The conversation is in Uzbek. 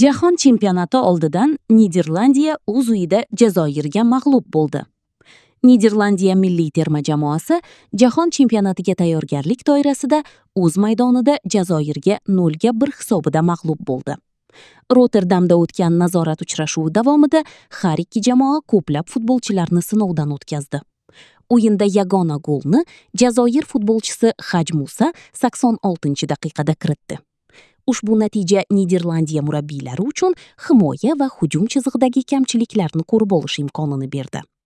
Jahon chempionati oldidan Niderlandiya o'z uyida Jazoirga mag'lub bo'ldi. Niderlandiya milliy terma jamoasi jahon chempionatiga tayyorgarlik doirasida o'z maydonida Jazoirga 0:1 hisobida mag'lub bo'ldi. Rotterdamda o'tgan nazorat uchrashuvi davomida har ikki jamoa ko'plab futbolchilarni sinovdan o'tkazdi. O'yinda yagona golni Jazoir futbolchisi Haj Musa 86-daqiqada kiritdi. Ushbu natija Niderlandiya murabbiylari uchun himoya va hujum chizig'idagi kamchiliklarni ko'rib olish imkonini berdi.